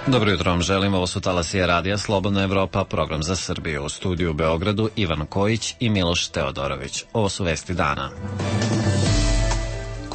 Dobro jutro vam želim, ovo su talasije radija Slobodna Evropa, program za Srbiju. U studiju u Beogradu Ivan Kojić i Miloš Teodorović. Ovo su vesti dana.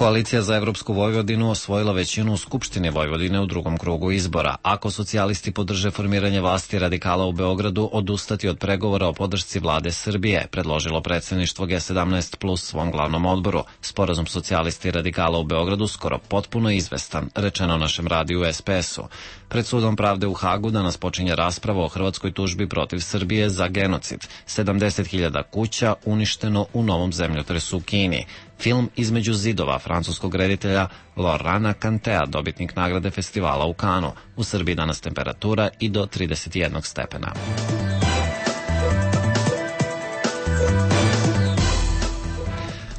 Koalicija za Evropsku Vojvodinu osvojila većinu u Skupštini Vojvodine u drugom krugu izbora. Ako socijalisti podrže formiranje vlasti radikala u Beogradu, odustati od pregovora o podršci vlade Srbije, predložilo predsedništvo G17 plus svom glavnom odboru. Sporazum socijalisti i radikala u Beogradu skoro potpuno izvestan, rečeno našem radiju SPS-u. Pred sudom pravde u Hagu danas počinje rasprava o hrvatskoj tužbi protiv Srbije za genocid. 70.000 kuća uništeno u novom zemljotresu u Kini. Film Između zidova francuskog reditelja Laurana Cantea, dobitnik nagrade festivala u Kanu. U Srbiji danas temperatura i do 31 stepena.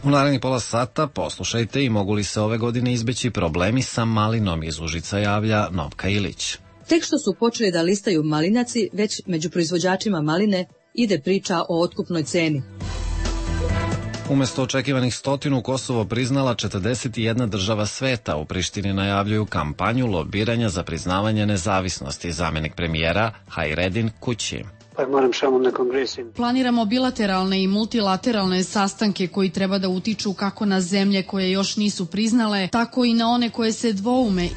U narednih pola sata poslušajte i mogu li se ove godine izbeći problemi sa malinom, iz Užica javlja Novka Ilić. Tek što su počeli da listaju malinaci, već među proizvođačima maline ide priča o otkupnoj ceni. Umesto očekivanih 100, Kosovo priznala 41 država sveta. U Prištini najavljuju kampanju lobiranja za priznavanje nezavisnosti. Zamenik premijera Hajredin Kući. Planiramo bilateralne i multilateralne sastanke koji treba da utiču kako na zemlje koje još nisu priznale, tako i na one koje se dvoume.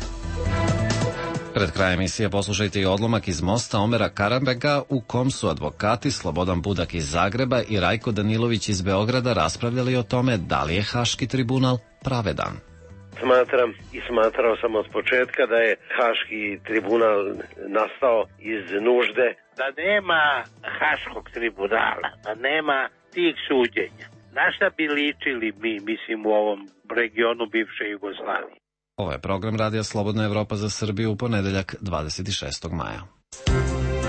Pred krajem emisije poslušajte i odlomak iz mosta Omera Karambega u kom su advokati Slobodan Budak iz Zagreba i Rajko Danilović iz Beograda raspravljali o tome da li je Haški tribunal pravedan. Smatram i smatrao sam od početka da je Haški tribunal nastao iz nužde. Da nema Haškog tribunala, da nema tih suđenja. Na šta bi ličili mi, mislim, u ovom regionu bivše Jugoslavije? Ovo je program Radija Slobodna Evropa za Srbiju u ponedeljak 26. maja.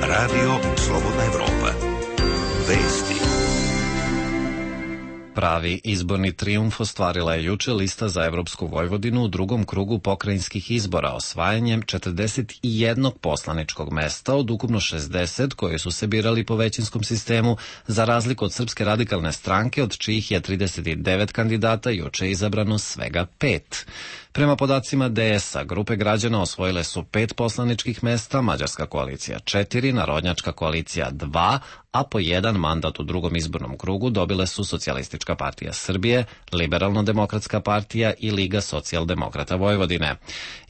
Radio Slobodna Evropa. Vesti. Pravi izborni trijumf ostvarila je juče lista za Evropsku Vojvodinu u drugom krugu pokrajinskih izbora osvajanjem 41 poslaničkog mesta od ukupno 60 koji su se birali po većinskom sistemu, za razliku od Srpske radikalne stranke od čijih je 39 kandidata juče izabrano svega 5. Prema podacima DS-a, grupe građana osvojile su 5 poslaničkih mesta, Mađarska koalicija 4, Narodnjačka koalicija 2, a po 1 mandat u drugom izbornom krugu dobile su Socijalistička partija Srbije, Liberalno-demokratska partija i Liga socijaldemokrata Vojvodine.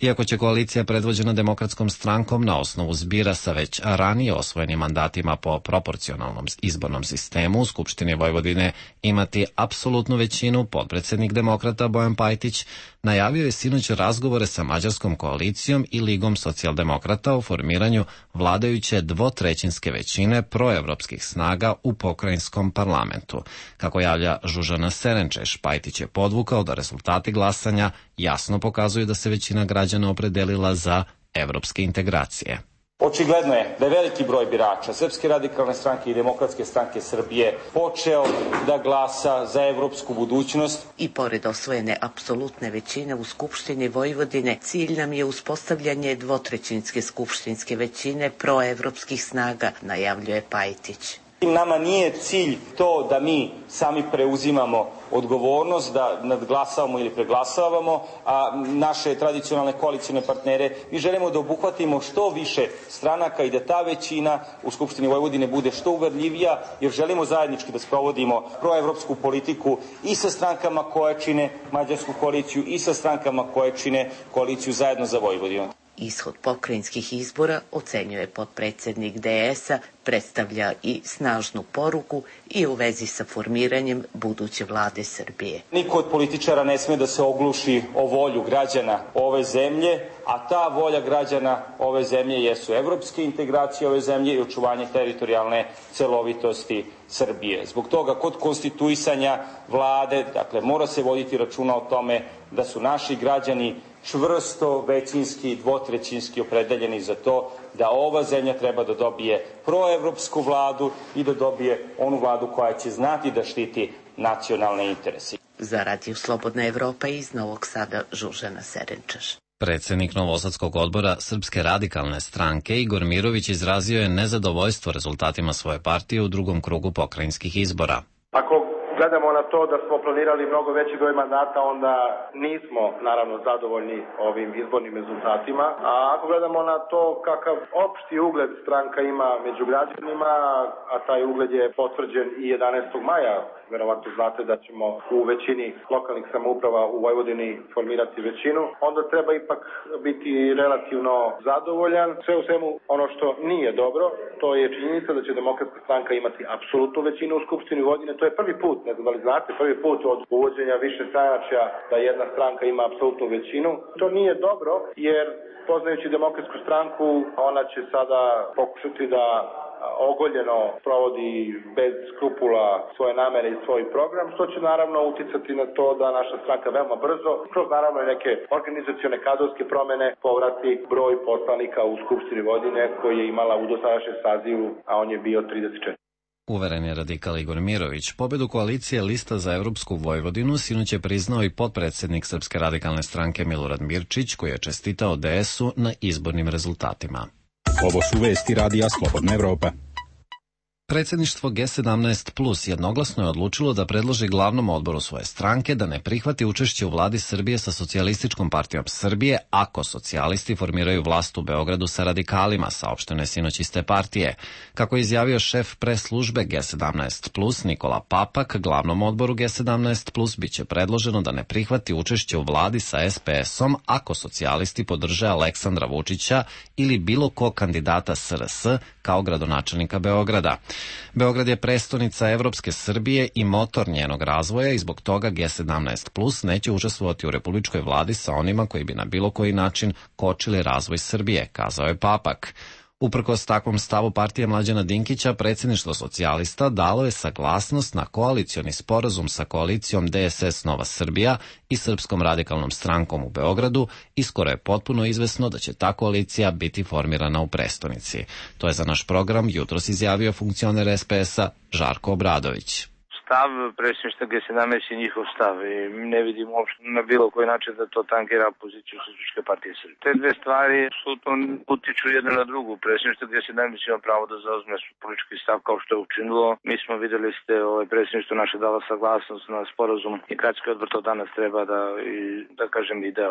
Iako će koalicija predvođena Demokratskom strankom na osnovu zbira sa već ranije osvojenim mandatima po proporcionalnom izbornom sistemu u Skupštini Vojvodine imati apsolutnu većinu, potpredsednik demokrata Bojan Pajtić najavio je sinoć razgovore sa Mađarskom koalicijom i Ligom socijaldemokrata o formiranju vladajuće dvotrećinske većine proevropskih snaga u pokrajinskom parlamentu. Kako javlja Žužana Serenčeš, Pajtić je podvukao da rezultati glasanja jasno pokazuju da se većina građana opredelila za evropske integracije. Očigledno je da je veliki broj birača Srpske radikalne stranke i Demokratske stranke Srbije počeo da glasa za evropsku budućnost. I pored osvojene apsolutne većine u Skupštini Vojvodine, cilj nam je uspostavljanje dvotrećinske skupštinske većine proevropskih snaga, najavljuje Pajtić. Nama nije cilj to da mi sami preuzimamo odgovornost, da nadglasavamo ili preglasavamo, a naše tradicionalne koalicijne partnere. Mi želimo da obuhvatimo što više stranaka i da ta većina u Skupštini Vojvodine bude što uverljivija, jer želimo zajednički da sprovodimo proevropsku politiku i sa strankama koje čine Mađarsku koaliciju i sa strankama koje čine koaliciju Zajedno za Vojvodinu. Ishod pokrajinskih izbora, ocenjuje potpredsednik DS-a, predstavlja i snažnu poruku i u vezi sa formiranjem buduće vlade Srbije. Niko od političara ne sme da se ogluši o volju građana ove zemlje, a ta volja građana ove zemlje jesu evropske integracije ove zemlje i očuvanje teritorijalne celovitosti Srbije. Zbog toga, kod konstituisanja vlade, dakle, mora se voditi računa o tome da su naši građani čvrsto, većinski, dvotrećinski opredeljeni za to da ova zemlja treba da dobije proevropsku vladu i da dobije onu vladu koja će znati da štiti nacionalne interese. Za Radio Slobodna Evropa iz Novog Sada, Žužana Serenčaš. Predsednik Novosadskog odbora Srpske radikalne stranke Igor Mirović izrazio je nezadovoljstvo rezultatima svoje partije u drugom krugu pokrajinskih izbora. Ako gledamo na to da smo planirali mnogo veći broj mandata, onda nismo naravno zadovoljni ovim izbornim rezultatima. A ako gledamo na to kakav opšti ugled stranka ima među građanima, a taj ugled je potvrđen i 11. maja, verovatno znate da ćemo u većini lokalnih samouprava u Vojvodini formirati većinu, onda treba ipak biti relativno zadovoljan. Sve u svemu, ono što nije dobro, to je činjenica da će Demokratska stranka imati apsolutnu većinu u Skupštini Vojvodine. To je prvi put, ne znam da li znate, prvi put od uvođenja više stranačja da jedna stranka ima apsolutnu većinu. To nije dobro, jer poznajući Demokratsku stranku, ona će sada pokušati da ogoljeno provodi bez skrupula svoje namere i svoj program, što će naravno uticati na to da naša stranka veoma brzo, kroz naravno i neke organizacione kadrovske promene, povrati broj poslanika u Skupštini Vojvodine koji je imala u dosadašnjem sazivu, a on je bio 34. Uveren je radikal Igor Mirović. Pobedu koalicije Lista za Evropsku Vojvodinu sinoć je priznao i potpredsednik Srpske radikalne stranke Milorad Mirčić, koji je čestitao DS-u na izbornim rezultatima. Ovo su vesti Radija Slobodna Evropa. Predsjedništvo G17 Plus jednoglasno je odlučilo da predloži glavnom odboru svoje stranke da ne prihvati učešće u vladi Srbije sa Socijalističkom partijom Srbije ako socijalisti formiraju vlast u Beogradu sa radikalima, saopšteno je sinoć iz te partije. Kako je izjavio šef pres službe G17 Plus Nikola Papak, glavnom odboru G17 Plus biće predloženo da ne prihvati učešće u vladi sa SPS-om ako socijalisti podrže Aleksandra Vučića ili bilo kog kandidata SRS kao gradonačelnika Beograda. Beograd je prestonica Evropske Srbije i motor njenog razvoja i zbog toga G17 Plus neće učestvovati u republičkoj vladi sa onima koji bi na bilo koji način kočili razvoj Srbije, kazao je Papak. Uprkos takvom stavu partije Mlađana Dinkića, predsjedništvo socijalista dalo je saglasnost na koalicioni sporazum sa koalicijom DSS Nova Srbija i Srpskom radikalnom strankom u Beogradu i skoro je potpuno izvesno da će ta koalicija biti formirana u prestonici. To je za naš program jutros izjavio funkcioner SPS-a Žarko Obradović. Stav predsjedništva G17 je njihov stav i ne vidim uopšte na bilo koji način da to tankira poziciju Socijalističke partije Srbije. Te dve stvari apsolutno utiču jedna na drugu. Predsjedništvo G17 ima pravo da zauzme politički stav kao što je učinilo. Mi smo videli ste predsjedništvo naše dalo saglasnost na sporazum i gradski odbor to danas treba da kažem i da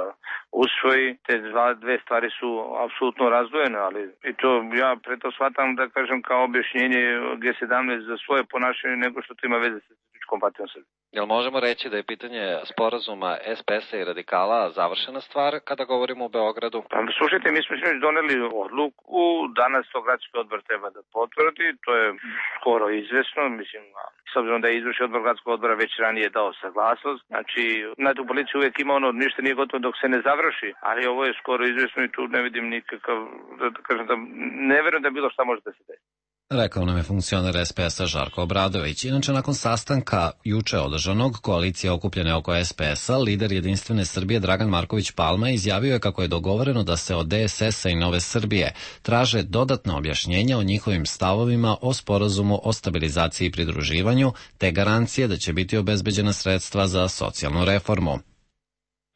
usvoji. Te dve stvari su apsolutno razdvojene, ali i to ja preto shvatam da kažem kao objašnjenje G17 za svoje ponašanje nego što to ima veze sa Socijalističkom partijom Srbije. Jel možemo reći da je pitanje sporazuma SPS-a i radikala završena stvar kada govorimo o Beogradu? Pa, slušajte, mi smo doneli odluku, danas to gradski odbor treba da potvrdi, to je skoro izvesno, mislim, s obzirom da je izvršni odbor gradskog odbora već ranije dao saglasnost, znači, na tu policiju uvijek ima ono, ništa nije gotovo dok se ne završi, ali ovo je skoro izvesno i tu ne vidim nikakav, da kažem da ne verujem da bilo šta može da se desi. Rekao nam je funkcioner SPS-a Žarko Obradović. Inače, nakon sastanka juče održanog koalicije okupljene oko SPS-a, lider Jedinstvene Srbije Dragan Marković Palma izjavio je kako je dogovoreno da se od DSS-a i Nove Srbije traže dodatna objašnjenja o njihovim stavovima o sporazumu o stabilizaciji i pridruživanju, te garancije da će biti obezbeđena sredstva za socijalnu reformu.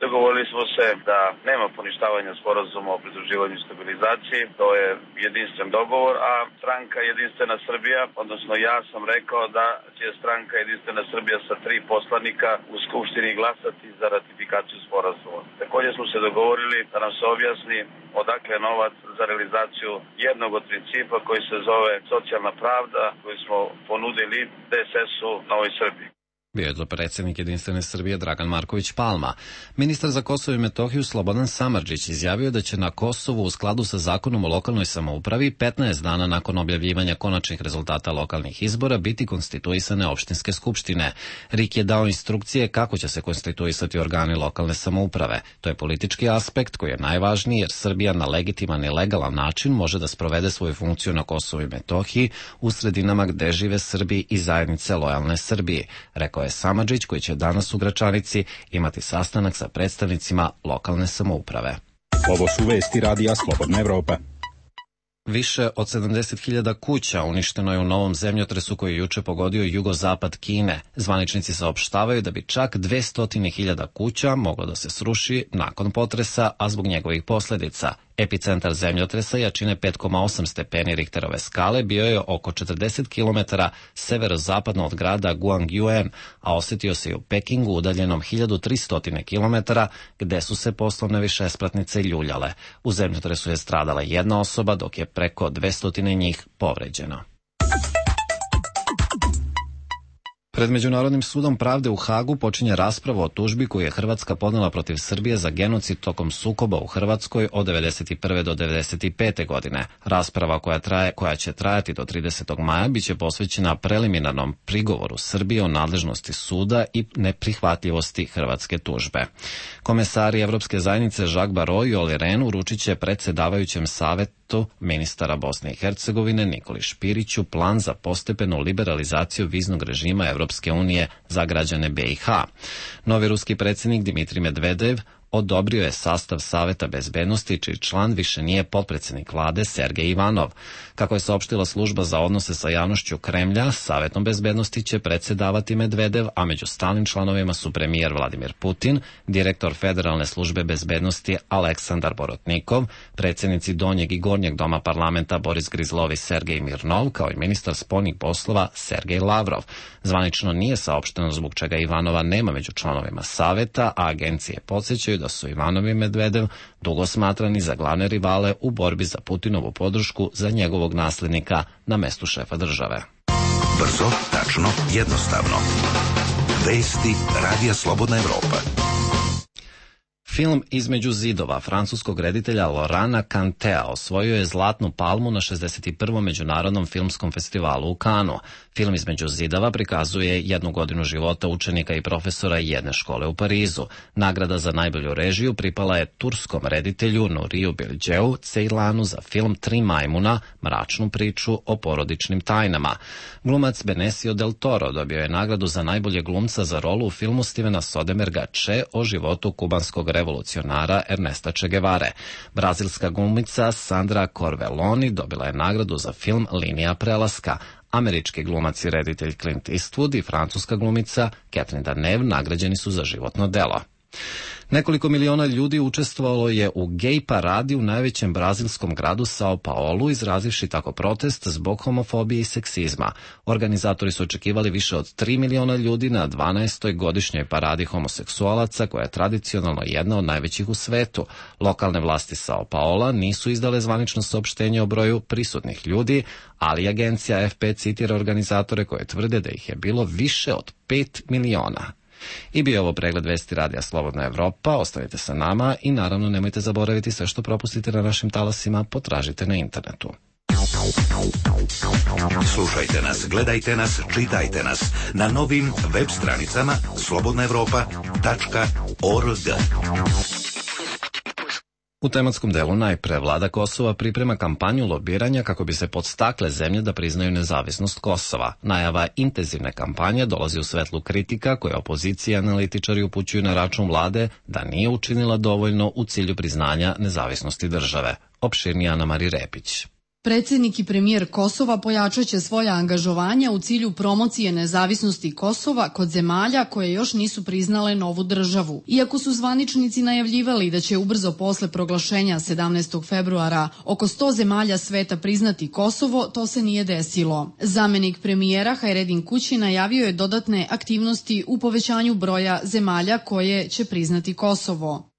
Dogovorili smo se da nema poništavanja sporazuma o pridruživanju i stabilizaciji, to je jedinstven dogovor, a stranka Jedinstvena Srbija, odnosno ja sam rekao da će stranka Jedinstvena Srbija sa 3 poslanika u Skupštini glasati za ratifikaciju sporazuma. Također smo se dogovorili da nam se objasni odakle novac za realizaciju jednog od principa koji se zove socijalna pravda, koju smo ponudili DSS-u Novoj Srbiji. Bio je to predsjednik Jedinstvene Srbije Dragan Marković Palma. Ministar za Kosovo i Metohiju Slobodan Samardžić izjavio da će na Kosovu u skladu sa zakonom o lokalnoj samoupravi 15 dana nakon objavljivanja konačnih rezultata lokalnih izbora biti konstituisane opštinske skupštine. RIK je dao instrukcije kako će se konstituisati organi lokalne samouprave. To je politički aspekt koji je najvažniji jer Srbija na legitiman i legalan način može da sprovede svoju funkciju na Kosovu i Metohiji u sredinama gde žive Srbi i zajednice lojalne Srbiji, rekao je Samardžić, koji će danas u Gračanici imati sastanak sa predstavnicima lokalne samouprave. Ovo su vesti Radija Slobodna Evropa. Više od 70.000 kuća uništeno je u novom zemljotresu koji je juče pogodio jugozapad Kine. Zvaničnici saopštavaju da bi čak 200.000 kuća moglo da se sruši nakon potresa, a zbog njegovih posljedica. Epicentar zemljotresa jačine 5,8 stepeni Richterove skale bio je oko 40 km severozapadno od grada Guangzhou, a osetio se i u Pekingu udaljenom 1300 km gde su se poslovne višespratnice ljuljale. U zemljotresu je stradala jedna osoba, dok je preko 200 njih povređeno. Pred Međunarodnim sudom pravde u Hagu počinje rasprava o tužbi koju je Hrvatska podnela protiv Srbije za genocid tokom sukoba u Hrvatskoj od 1991. do 1995. godine. Rasprava koja će trajati do 30. maja biće posvećena preliminarnom prigovoru Srbije o nadležnosti suda i neprihvatljivosti hrvatske tužbe. Komesari Evropske zajednice Jacques Barrot i Olli Rehn uručit će predsjedavajućem Savetu ministara Bosne i Hercegovine Nikoli Špiriću plan za postepenu liberalizaciju viznog režima Evropske unije za građane BiH. Novi ruski predsjednik Dimitrij Medvedev odobrio je sastav Saveta bezbednosti, čiji član više nije potpredsjednik vlade Sergej Ivanov. Kako je saopštila služba za odnose sa javnošću Kremlja, Savetom bezbednosti će predsjedavati Medvedev, a među stalnim članovima su premijer Vladimir Putin, direktor Federalne službe bezbednosti Aleksandar Borotnikov, predsjednici Donjeg i Gornjeg doma parlamenta Boris Grizlov i Sergej Mirnov, kao i ministar spoljnih poslova Sergej Lavrov. Zvanično nije saopšteno zbog čega Ivanova nema među članovima Saveta, a agencije podsjećaju da su Ivanov i Medvedev dugo smatrani za glavne rivale u borbi za Putinovu podršku za njegovog naslednika na mestu šefa države. Brzo, tačno, jednostavno. Vesti Radija Slobodna Evropa. Film Između zidova francuskog reditelja Laurenta Cantea osvojio je Zlatnu palmu na 61. Međunarodnom filmskom festivalu u Kanu. Film Između zidova prikazuje 1 godinu života učenika i profesora jedne škole u Parizu. Nagrada za najbolju režiju pripala je turskom reditelju Nuriju Bilgeu Ceylanu za film Tri majmuna, mračnu priču o porodičnim tajnama. Glumac Benicio del Toro dobio je nagradu za najbolje glumca za rolu u filmu Stevena Soderbergha Che o životu kubanskog revolucionara Ernesta Che Guevare. Brazilska glumica Sandra Corveloni dobila je nagradu za film Linija prelaska. Američki glumac i reditelj Clint Eastwood i francuska glumica Catherine Deneuve nagrađeni su za životno delo. Nekoliko miliona ljudi učestvovalo je u gej paradi u najvećem brazilskom gradu Sao Paulo, izrazivši tako protest zbog homofobije i seksizma. Organizatori su očekivali više od 3 miliona ljudi na 12. godišnjoj paradi homoseksualaca, koja je tradicionalno jedna od najvećih u svetu. Lokalne vlasti Sao Paula nisu izdale zvanično saopštenje o broju prisutnih ljudi, ali agencija AFP citira organizatore koje tvrde da ih je bilo više od 5 miliona. I bio ovo pregled vesti Radija Slobodna Evropa. Ostanite sa nama i naravno nemojte zaboraviti sve što propustite na našim talasima, potražite na internetu. Slušajte nas, gledajte nas, čitajte nas na novim web stranicama slobodnaevropa.org. U tematskom delu najpre vlada Kosova priprema kampanju lobiranja kako bi se podstakle zemlje da priznaju nezavisnost Kosova. Najava intenzivne kampanje dolazi u svetlu kritika koje opozicija i analitičari upućuju na račun vlade da nije učinila dovoljno u cilju priznanja nezavisnosti države. Opširnije Ana Mari Repić. Predsjednik i premijer Kosova pojačaće svoja angažovanja u cilju promocije nezavisnosti Kosova kod zemalja koje još nisu priznale novu državu. Iako su zvaničnici najavljivali da će ubrzo posle proglašenja 17. februara oko 100 zemalja sveta priznati Kosovo, to se nije desilo. Zamenik premijera Hajredin Kući najavio je dodatne aktivnosti u povećanju broja zemalja koje će priznati Kosovo.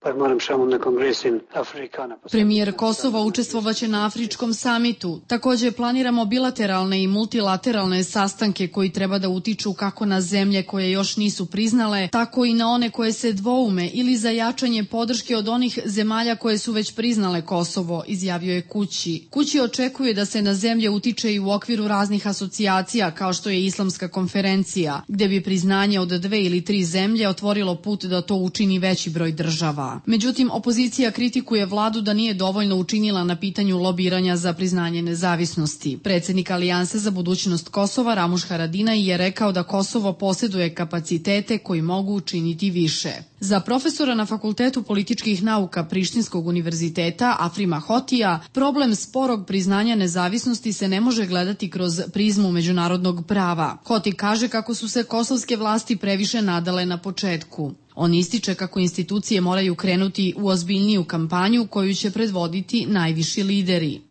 Premijer Kosova učestvovaće na Afričkom samitu. Također planiramo bilateralne i multilateralne sastanke koji treba da utiču kako na zemlje koje još nisu priznale, tako i na one koje se dvoume ili za jačanje podrške od onih zemalja koje su već priznale Kosovo, izjavio je Kući. Kući očekuje da se na zemlje utiče i u okviru raznih asocijacija kao što je Islamska konferencija, gde bi priznanje od 2 ili 3 zemlje otvorilo put da to učini veći broj država. Međutim, opozicija kritikuje vladu da nije dovoljno učinila na pitanju lobiranja za priznanje nezavisnosti. Predsjednik Alijanse za budućnost Kosova Ramuš Haradinaj je rekao da Kosovo posjeduje kapacitete koji mogu učiniti više. Za profesora na Fakultetu političkih nauka Prištinskog univerziteta Afrima Hotija, problem sporog priznanja nezavisnosti se ne može gledati kroz prizmu međunarodnog prava. Hoti kaže kako su se kosovske vlasti previše nadale na početku. On ističe kako institucije moraju krenuti u ozbiljniju kampanju koju će predvoditi najviši lideri.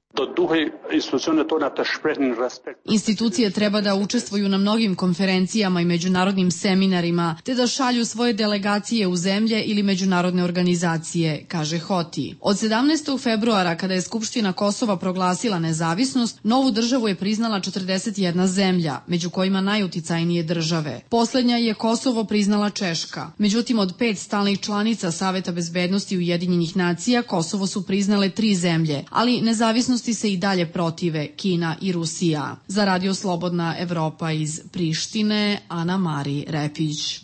Institucije treba da učestvuju na mnogim konferencijama i međunarodnim seminarima, te da šalju svoje delegacije u zemlje ili međunarodne organizacije, kaže Hoti. Od 17. februara, kada je Skupština Kosova proglasila nezavisnost, novu državu je priznala 41 zemlja, među kojima najuticajnije države. Poslednja je Kosovo priznala Češka. Međutim, od 5 stalnih članica Saveta bezbednosti Ujedinjenih nacija, Kosovo su priznale 3 zemlje, ali nezavisnosti se i dalje protive Kina i Rusija. Za Radio Slobodna Evropa iz Prištine, Ana Mari Repić.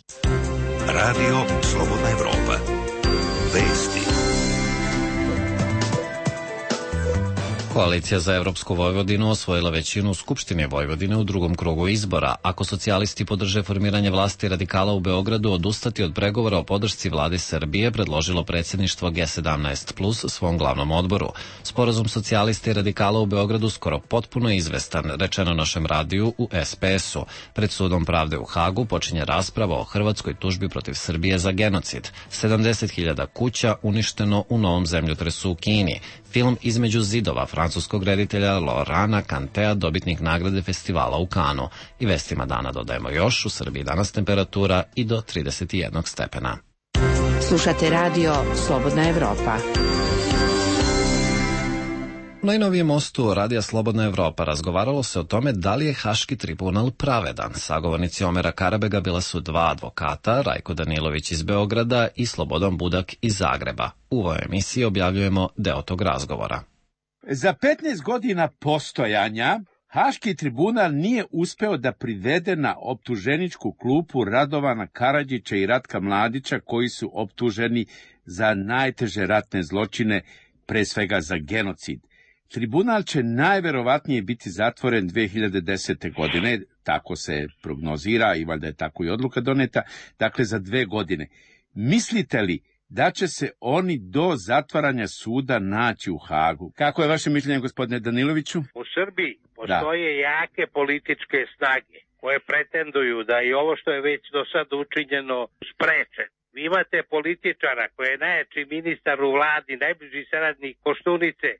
Radio Slobodna Evropa. Vesti. Koalicija za Evropsku Vojvodinu osvojila većinu u Skupštini Vojvodine u drugom krugu izbora. Ako socijalisti podrže formiranje vlasti radikala u Beogradu, odustati od pregovora o podršci vladi Srbije predložilo predsjedništvo G17 plus svom glavnom odboru. Sporazum socijalista i radikala u Beogradu skoro potpuno izvestan, rečeno našem radiju u SPS-u. Pred sudom pravde u Hagu počinje rasprava o hrvatskoj tužbi protiv Srbije za genocid. 70.000 kuća uništeno u novom zemljotresu u Kini. Film Između zidova francuskog reditelja Laurana Cantea, dobitnik nagrade festivala u Kanu. I vestima dana dodajemo još, u Srbiji danas temperatura i do 31 stepena. Slušate radio Slobodna Evropa. U najnovijem mostu Radija Slobodna Evropa razgovaralo se o tome da li je Haški tribunal pravedan. Sagovornici Omera Karabega bila su 2 advokata, Rajko Danilović iz Beograda i Slobodan Budak iz Zagreba. U ovoj emisiji objavljujemo deo tog razgovora. Za 15 godina postojanja Haški tribunal nije uspeo da privede na optuženičku klupu Radovana Karadžića i Ratka Mladića, koji su optuženi za najteže ratne zločine, pre svega za genocid. Tribunal će najverovatnije biti zatvoren 2010. godine, tako se prognozira i valjda je tako i odluka doneta, dakle za 2 godine. Mislite li da će se oni do zatvaranja suda naći u Hagu? Kako je vaše mišljenje, gospodine Daniloviću? U Srbiji postoje jake političke snage koje pretenduju da i ovo što je već do sad učinjeno spreče. Vi imate političara koji je najjači ministar u vladi, najbliži saradnik Koštunice,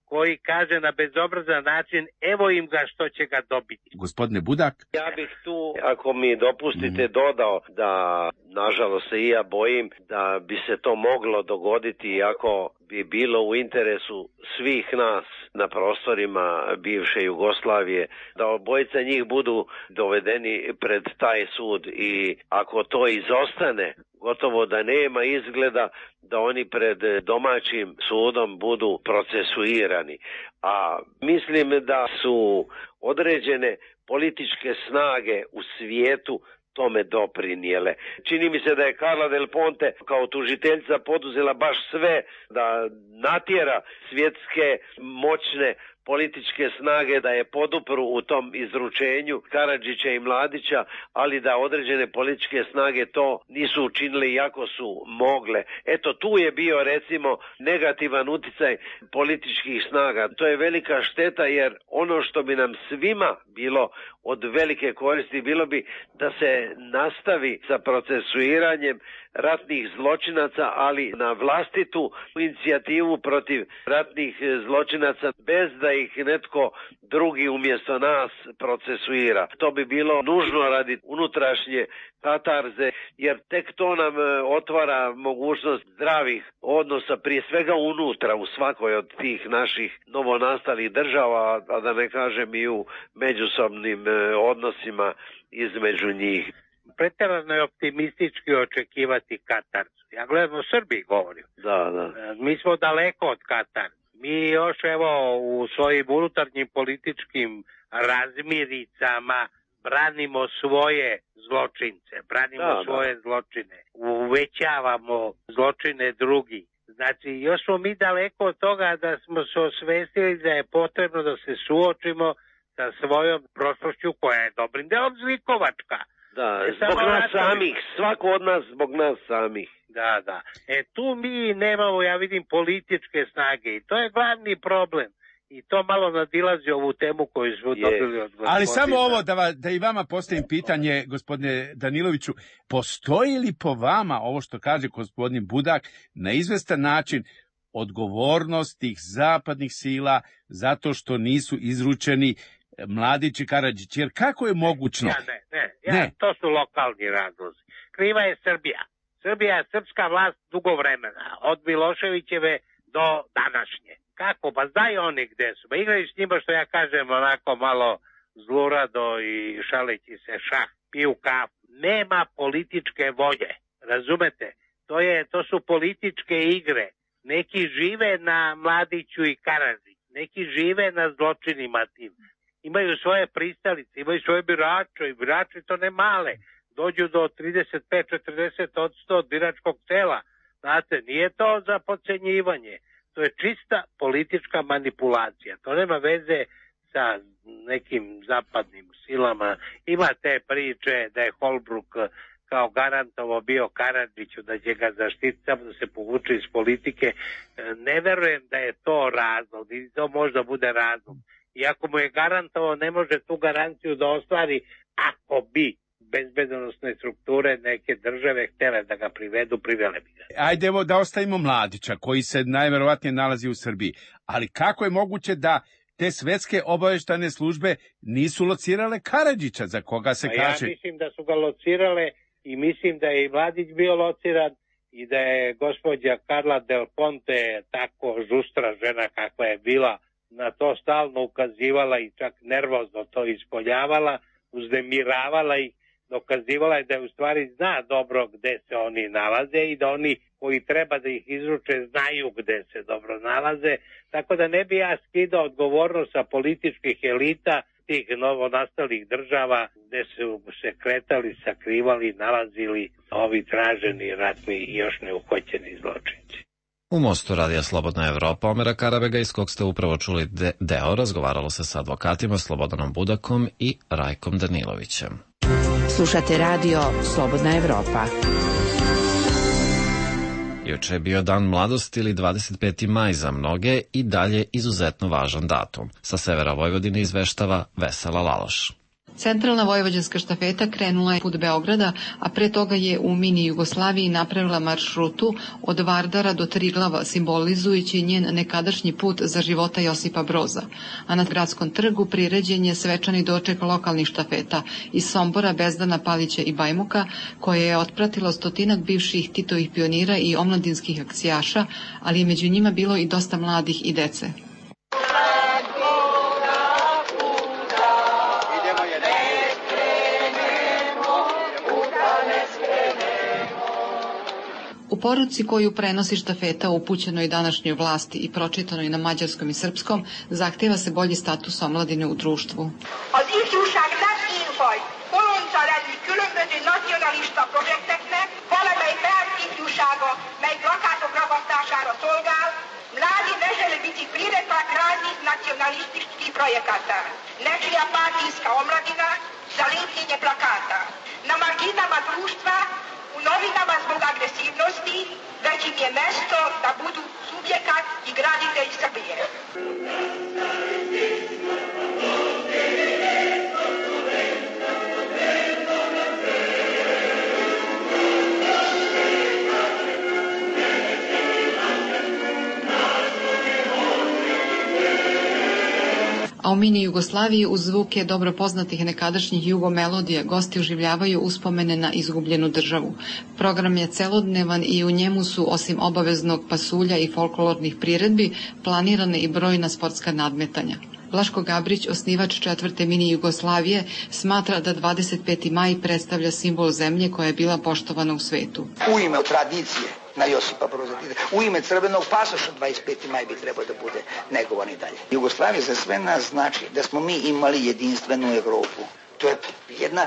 koji kaže na bezobrazan način, evo im ga što će ga dobiti. Gospodine Budak? Ja bih tu, ako mi dopustite, dodao da, nažalost se i ja bojim, da bi se to moglo dogoditi ako bi bilo u interesu svih nas na prostorima bivše Jugoslavije, da obojica njih budu dovedeni pred taj sud i ako to izostane, gotovo da nema izgleda da oni pred domaćim sudom budu procesuirani. A mislim da su određene političke snage u svijetu tome doprinijele. Čini mi se da je Carla Del Ponte kao tužiteljica poduzela baš sve da natjera svjetske moćne političke snage da je podupru u tom izručenju Karadžića i Mladića, ali da određene političke snage to nisu učinile iako su mogle. Eto, tu je bio recimo negativan uticaj političkih snaga. To je velika šteta jer ono što bi nam svima bilo od velike koristi bilo bi da se nastavi sa procesuiranjem ratnih zločinaca, ali na vlastitu inicijativu protiv ratnih zločinaca bez da ih netko drugi umjesto nas procesuira. To bi bilo nužno radi unutrašnje katarze, jer tek to nam otvara mogućnost zdravih odnosa, prije svega unutra u svakoj od tih naših novonastalih država, a da ne kažem i u međusobnim odnosima između njih. Pretjerano je optimistički očekivati katarzu. Ja gledam o Srbiji govorim. Da. Mi smo daleko od katarze. Mi još evo u svojim unutarnjim političkim razmiricama branimo svoje zločince, svoje zločine, uvećavamo zločine drugih. Znači, još smo mi daleko od toga da smo se osvestili da je potrebno da se suočimo sa svojom prošlošću koja je dobrim delom zlikovačka. Da, zbog nas samih, svako od nas zbog nas samih. Da. Tu mi nemamo, ja vidim, političke snage i to je glavni problem. i to malo nadilazi ovu temu koju smo dobili od gospodina. Ali samo ovo da i vama postavim pitanje, gospodine Daniloviću, postoji li po vama, ovo što kaže gospodin Budak, na izvestan način odgovornost tih zapadnih sila zato što nisu izručeni Mladić i Karadžić? Jer kako je mogućno? Ne, to su lokalni razlozi. Kriva je Srbija. Srbija je srpska vlast dugo vremena, od Miloševićeve do današnje. Kako? Pa znaju oni gde su. Pa igraju s njima, što ja kažem, onako malo zlurado i šaleći se šah, piju kafu. Nema političke volje, razumete? To su političke igre. Neki žive na Mladiću i Karadžiću, neki žive na zločinima tim. Imaju svoje pristalice, imaju svoje birače i birači to ne male. Dođu do 35-40% od biračkog tela. Znate, nije to za podcenjivanje. To je čista politička manipulacija. To nema veze sa nekim zapadnim silama. Ima te priče da je Holbruk kao garantovo bio Karadžiću, da će ga zaštiti samo da se povuče iz politike. Ne verujem da je to razlog, i to možda bude razlog. I ako mu je garantovo, ne može tu garanciju da ostvari ako bi bezbednosne strukture neke države htjele da ga privedu, privele bi ga. Ajde da ostavimo Mladića, koji se najverovatnije nalazi u Srbiji. Ali kako je moguće da te svetske obaveštajne službe nisu locirale Karadžića, za koga se kaže? Ja mislim da su ga locirale i mislim da je i Mladić bio lociran i da je gospođa Carla Del Ponte, tako žustra žena kakva je bila, na to stalno ukazivala i čak nervozno to ispoljavala, uznemiravala ih, dokazivala je da je u stvari zna dobro gde se oni nalaze i da oni koji treba da ih izruče znaju gde se dobro nalaze, tako da ne bi ja skidao odgovornost sa političkih elita tih novonastalih država gde su se kretali, sakrivali, nalazili ovi traženi ratni i još neuhoćeni zločinci. U Mostu Radija Slobodna Evropa Omera Karabega, iz kog ste upravo čuli deo, razgovaralo se sa advokatima Slobodanom Budakom i Rajkom Danilovićem. Slušate radio Slobodna Evropa. Juče je bio Dan mladosti ili 25. maj za mnoge i dalje izuzetno važan datum. Sa severa Vojvodine izveštava Vesela Laloš. Centralna vojvođanska štafeta krenula je put Beograda, a pre toga je u mini Jugoslaviji napravila maršrutu od Vardara do Triglava, simbolizujući njen nekadašnji put za života Josipa Broza. A na gradskom trgu priređen je svečani doček lokalnih štafeta iz Sombora, Bezdana, Palića i Bajmoka, koje je otpratilo stotinak bivših Titovih pionira i omladinskih akcijaša, ali je među njima bilo i dosta mladih i dece. U poruci koju prenosi štafeta upućenoj današnjoj vlasti i pročitanoj na mađarskom i srpskom, zahteva se bolji status omladine u društvu. Az ifjúság nem élfaj, bolondca lenni különböző nacionalista projekteknek, valamely párt ifjúsága, mely plakátok ragasztására szolgál, mladi ne žele biti priretak raznih nacionalističkih projekata. Nečija partijska omladina za lepljenje plakata. Na marginama društva, u novinama zbog agresivnosti, već im je mesto da budu subjekat i graditelj Srbije. A u mini Jugoslaviji uz zvuke dobro poznatih nekadašnjih jugomelodija gosti oživljavaju uspomene na izgubljenu državu. Program je celodnevan i u njemu su, osim obaveznog pasulja i folklornih priredbi, planirane i brojna sportska nadmetanja. Vlaško Gabrić, osnivač 4. mini Jugoslavije, smatra da 25. maj predstavlja simbol zemlje koja je bila poštovana u svetu. U ime tradicije na Josipa Broza, u ime crvenog pasoša 25. maj bi trebao da bude negovan i dalje. Jugoslavija za sve nas znači da smo mi imali jedinstvenu Evropu. To je jedna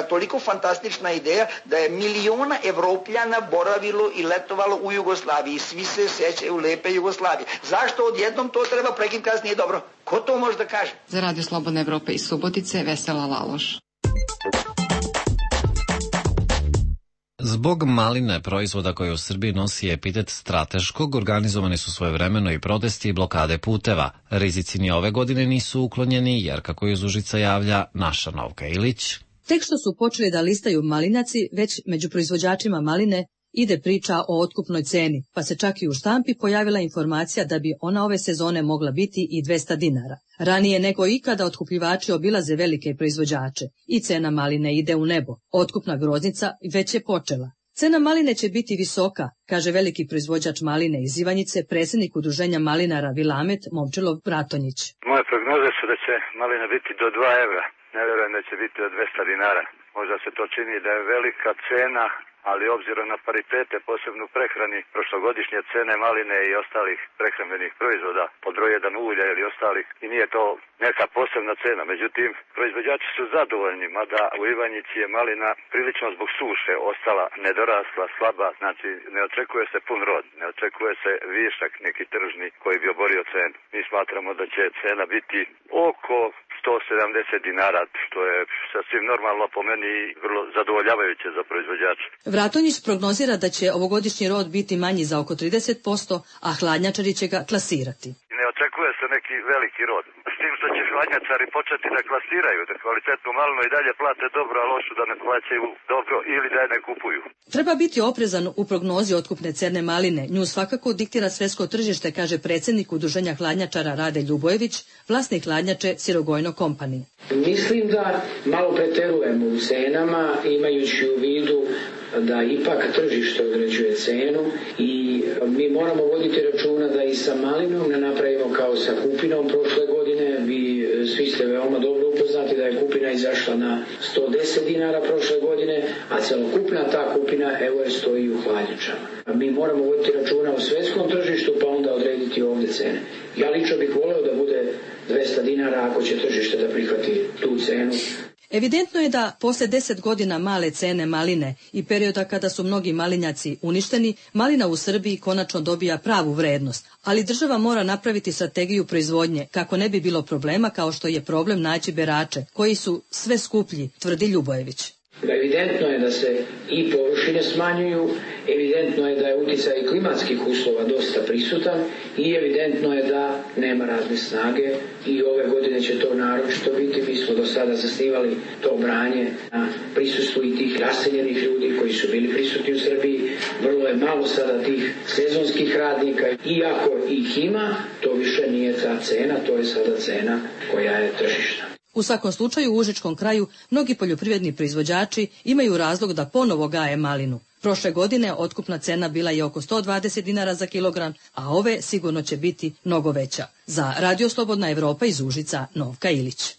toliko fantastična ideja da je miliona Evropljana boravilo i letovalo u Jugoslaviji. Svi se sećaju lepe Jugoslavije. Zašto odjednom to treba prekinuti kasnije dobro? Ko to može da kaže? Za Radio Slobodna Evropa iz Subotice, Vesela Laloš. Zbog maline, proizvoda koje u Srbiji nosi epitet strateškog, organizovani su svojevremeno i protesti i blokade puteva. Rizici ni ove godine nisu uklonjeni, jer, kako iz Užica javlja naša Novka Ilić, tek što su počeli da listaju malinaci, već među proizvođačima maline ide priča o otkupnoj ceni, pa se čak i u štampi pojavila informacija da bi ona ove sezone mogla biti i 200 dinara. Ranije nego ikada otkupljivači obilaze velike proizvođače i cena maline ide u nebo. Otkupna groznica već je počela. Cena maline će biti visoka, kaže veliki proizvođač maline iz Ivanjice, predsjednik udruženja malinara Vilamet Momčilov Bratonjić. Moje prognoze su da će malina biti do 2 evra. Ne vjerujem da će biti od 200 dinara. Možda se to čini da je velika cena, ali obzirom na paritete, posebno u prehrani, prošlogodišnje cene maline i ostalih prehrambenih proizvoda, pod broj 1 ulja ili ostalih, i nije to neka posebna cena. Međutim, proizvođači su zadovoljni, mada u Ivanjici je malina prilično zbog suše ostala nedorasla, slaba, znači ne očekuje se pun rod, ne očekuje se višak neki tržni koji bi oborio cenu. Mi smatramo da će cena biti oko 170 dinara, što je sasvim normalno po meni i vrlo zadovoljavajuće za proizvođače. Vratonjić prognozira da će ovogodišnji rod biti manji za oko 30%, a hladnjačari će ga klasirati. Ne očekuje se neki veliki rod. S tim što će hladnjačari početi da klasiraju, da kvalitetnu malinu i dalje plate dobro, a lošu da ne plaćaju dobro ili da je ne kupuju. Treba biti oprezan u prognozi otkupne cene maline. Nju svakako diktira svjetsko tržište, kaže predsjednik udruženja hladnjačara Rade Ljubojević, vlasnik hladnjače Sirogojno Company. Mislim da malo preterujemo u cenama, imajući u vidu da ipak tržište određuje cenu i mi moramo voditi računa da i sa malinom ne napravimo kao sa kupinom prošle godine. Vi svi ste veoma dobro upoznati da je kupina izašla na 110 dinara prošle godine, a celokupna ta kupina evo je stoji u hladnjačama. Mi moramo voditi računa o svjetskom tržištu pa onda odrediti ovdje cene. Ja lično bih voleo da bude 200 dinara ako će tržište da prihvati tu cenu. Evidentno je da posle 10 godina male cene maline i perioda kada su mnogi malinjaci uništeni, malina u Srbiji konačno dobija pravu vrednost, ali država mora napraviti strategiju proizvodnje kako ne bi bilo problema kao što je problem naći berače, koji su sve skuplji, tvrdi Ljubojević. Evidentno je da se i površine smanjuju, evidentno je da je utjecaj klimatskih uslova dosta prisutan i evidentno je da nema radne snage i ove godine će to naročito biti. Mi smo do sada zasnivali to branje na prisustvu i tih raseljenih ljudi koji su bili prisutni u Srbiji. Vrlo je malo sada tih sezonskih radnika. Iako ih ima, to više nije ta cena, to je sada cena koja je tržišna. U svakom slučaju u Užičkom kraju mnogi poljoprivredni proizvođači imaju razlog da ponovo gaje malinu. Prošle godine otkupna cena bila je oko 120 dinara za kilogram, a ove sigurno će biti mnogo veća. Za Radio Slobodna Evropa iz Užica, Novka Ilić.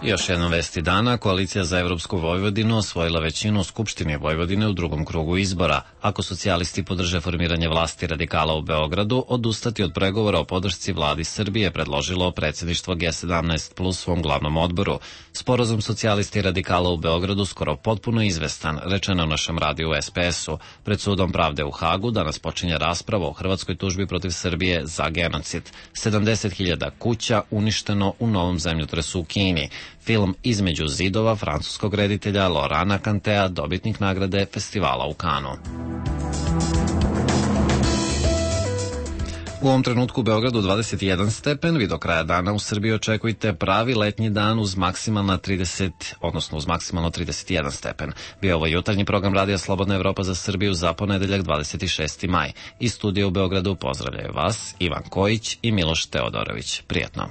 Još jedna vesti dana, Koalicija za Evropsku Vojvodinu osvojila većinu u Skupštini Vojvodine u drugom krugu izbora. Ako socijalisti podrže formiranje vlasti radikala u Beogradu, odustati od pregovora o podršci vladi Srbije predložilo predsjedništvo G17 plus svom glavnom odboru. Sporazum socijalisti i radikala u Beogradu skoro potpuno izvestan, rečeno u našem radiju SPS-u. Pred sudom pravde u Hagu danas počinje rasprava o hrvatskoj tužbi protiv Srbije za genocid. 70.000 kuća uništeno u novom zemljotresu u Kini. Film Između zidova francuskog reditelja Laurana Cantea, dobitnik nagrade festivala u Kanu. U ovom trenutku u Beogradu 21 stepen, vi do kraja dana u Srbiji očekujte pravi letnji dan uz maksimalno 31 stepen. Bio ovo jutarnji program Radija Slobodna Evropa za Srbiju za ponedeljak 26. maj. Iz studija u Beogradu pozdravljaju vas Ivan Kojić i Miloš Teodorović. Prijetno.